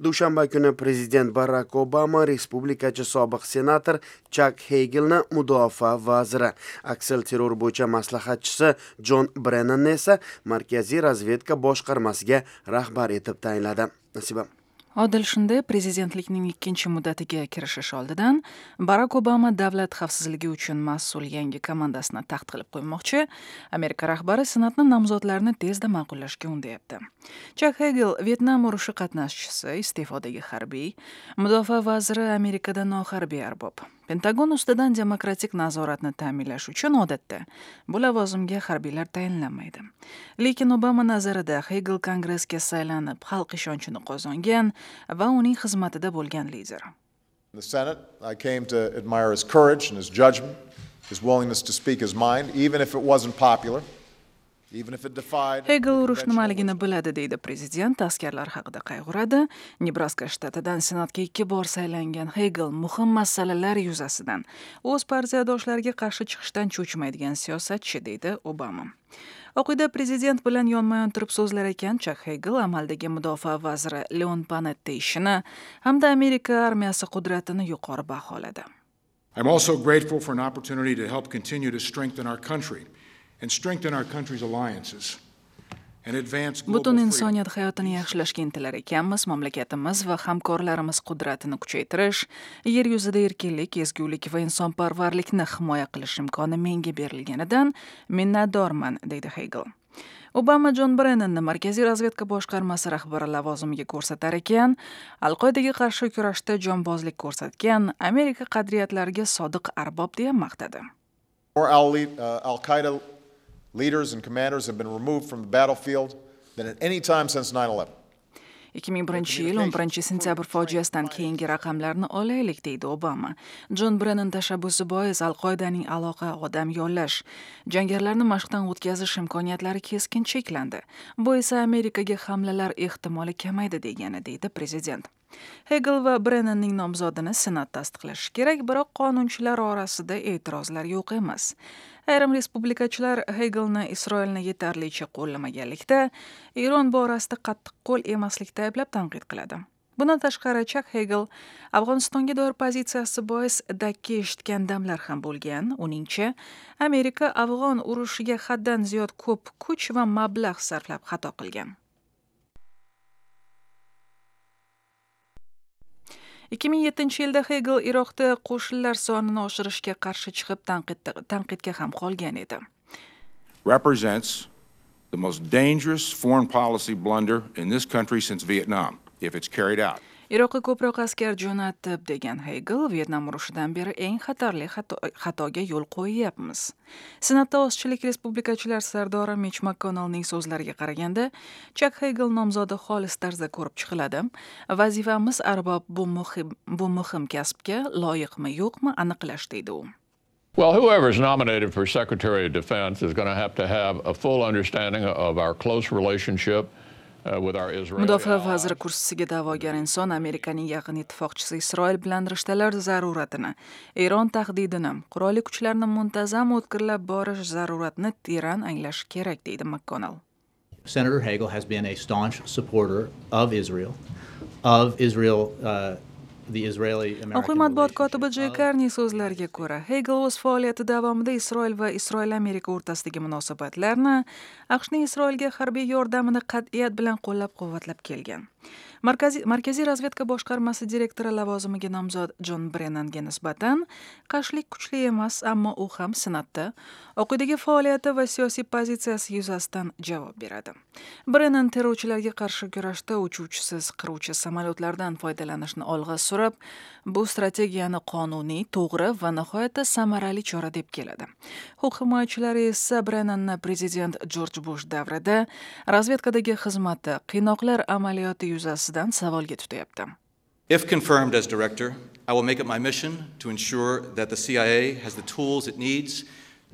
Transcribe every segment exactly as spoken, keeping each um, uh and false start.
Dushanba kuni prezident Barak Obama respublikachi sobiq senator Chak Heygelni mudofaa vaziri, aksilterror bo'yicha maslahatchisi Jon Brennanni esa Markaziy razvedka boshqarmasiga rahbar etib tayinladi. Nasiba. Odil shunday, prezidentlikning ikkinchi muddatiga kirishish oldidan Barak Obama davlat xavfsizligi uchun mas'ul yangi komandasini taxt qilib qo'ymoqchi. Amerika rahbari Senatni nomzodlarni tezda ma'qullashga undayapti. Chak Hegel Vyetnam urushi qatnashchisi, iste'fodagi harbiy, mudofaa vaziri Amerikada noharbiy arbob. Pentagon ustidan demokratik nazoratni ta'minlash uchun odatda bu lavozimga harbiylar tayinlanmaydi. Lekin Obama nazarida Hegel Kongressga saylanib, xalq ishonchini qozongan va uning xizmatida bo'lgan lider. In the Senate, I came to admire his courage and his judgment, his willingness to speak his mind, even if it wasn't popular. Hegel urush nimaligini biladi, deydi prezident, askarlar haqida qayg'uradi. Nebraska shtatidan Senatga ikki bor saylangan Hegel muhim masalalar yuzasidan o'z partiyadoshlariga qarshi chiqishdan cho'chimaydigan siyosatchi, deydi Obama. Oq uyda prezident bilan yonma-yon turib so'zlar ekan, Chak Hegel amaldagi mudofaa vaziri Leon Panetta ishini hamda Amerika armiyasi qudratini yuqori baholadi. I'm also grateful for an opportunity to help continue to strengthen our country and strengthen our country's alliances and advance global Butun insoniyat hayotini yaxshilashga intilar ekanmiz, mamlakatimiz va hamkorlarimiz qudratini kuchaytirish, yer yuzida erkinlik, ezgulik va insonparvarlikni himoya qilish imkoni menga berilganidan minnatdorman, deydi Hegel. Obama Jon Brennanni Markaziy razvedka boshqarmasi rahbari lavozimiga ko'rsatar ekan, Al-Qoidaga qarshi kurashda jonbozlik ko'rsatgan, Amerika qadriyatlariga sodiq arbob deya maqtadi. More Al-Qaeda leaders and commanders have been removed from the battlefield than at any time since nine eleven. ikki ming birinchi yil o'n birinchi sentyabr fojiasidan keyingi raqamlarni olaylik, deydi Obama. Jon Brennan tashabbusi bois Al-Qoidaning aloqa, odam yollash, jangarilarni mashqdan o'tkazish imkoniyatlari keskin cheklandi. Bu esa Amerikaga hamlalar ehtimoli kamaydi degani, deydi prezident. Hegel va Brennanning nomzodini Senat tasdiqlashi kerak, biroq qonunchilar orasida e'tirozlar yo'q emas. Ayrim respublikachilar Hegelni Isroilni yetarlicha qo'llamaganlikda, Eron borasida qattiqqo'l emaslikda ayblab tanqid qiladi. Bundan tashqari, Chak Hegel Afg'onistonga doir pozitsiyasi bois dakki eshitgan damlar ham bo'lgan. Uningcha, Amerika Afg'on urushiga haddan ziyod ko'p kuch va mablag' sarflab xato qilgan. ikki ming yettinchi yilda Hegel Iroqda qo'shinlar sonini oshirishga qarshi chiqib tanqidga ham qolgan edi. Represents the most dangerous foreign policy blunder in this country since Vietnam, if it's carried out. Iroqqa ko'proq askar jo'natib, degan Hegel, Vyetnam urushidan beri eng xatarli xatoga yo'l qo'yyapmiz. Senatda ozchilik respublikachilar sardori Mitch McConnellning so'zlariga qaraganda, Chak Hegel nomzodi xolis tarzda ko'rib chiqiladi. Vazifamiz arbob bu muhim bu muhim kasbga loyiqmi yo'qmi aniqlash, deydi u. Well, whoever is nominated for Secretary of Defense is going to have to have a full understanding of our close relationship Mudofaa vaziri kursisiga da'vogar inson Amerikaning yaqin ittifoqchisi Isroil bilan rishtalar zaruratini, Eron tahdidini, qurolli kuchlarni muntazam o'tkirlab borish zaruratini teran anglashi kerak, deydi McConnell. Senator Hagel has been a staunch supporter of Israel, of Israel uh, the Israeli-American Oq uy matbuot kotibi Jay Karni so'zlariga ko'ra, Hegel o'z faoliyati davomida Isroil va Isroil-Amerika o'rtasidagi munosabatlarni, A Q Shning Isroilga harbiy yordamini qat'iyat bilan qo'llab-quvvatlab kelgan. Markaziy Markaziy razvedka boshqarmasi direktori lavozimiga nomzod Jon Brennanga nisbatan qarshilik kuchli emas, ammo u ham Senatda Oq uydagi faoliyati va siyosiy pozitsiyasi yuzasidan javob beradi. Brennan terrorchilarga qarshi kurashda uchuvchisiz qiruvchi samolyotlardan foydalanishni olg'a surib, bu strategiyani qonuniy, to'g'ri va nihoyatda samarali chora deb keladi. Huquq himoyachilari esa Brennanni prezident Jorj Bush davrida razvedkadagi xizmati, qiynoqlar amaliyoti yuzasidan savolga tutyapti. If confirmed as director, I will make it my mission to ensure that the C I A has the tools it needs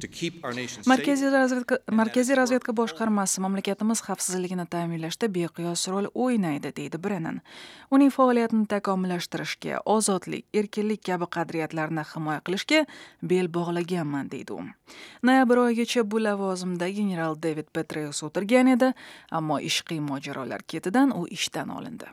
to keep our nation safe. Markaziy razvedka Markaziy razvedka boshqarmasi mamlakatimiz xavfsizligini ta'minlashda beqiyos rol o'ynaydi, deydi Brennan. Uning faoliyatini takomillashtirishga, ozodlik, erkinlik kabi qadriyatlarni himoya qilishga bel bog'laganman, deydi u. Noyabr oyigacha bu lavozimda general David Petraeus o'tirgan edi, ammo ishqiy mojarolar ketidan u ishdan olindi.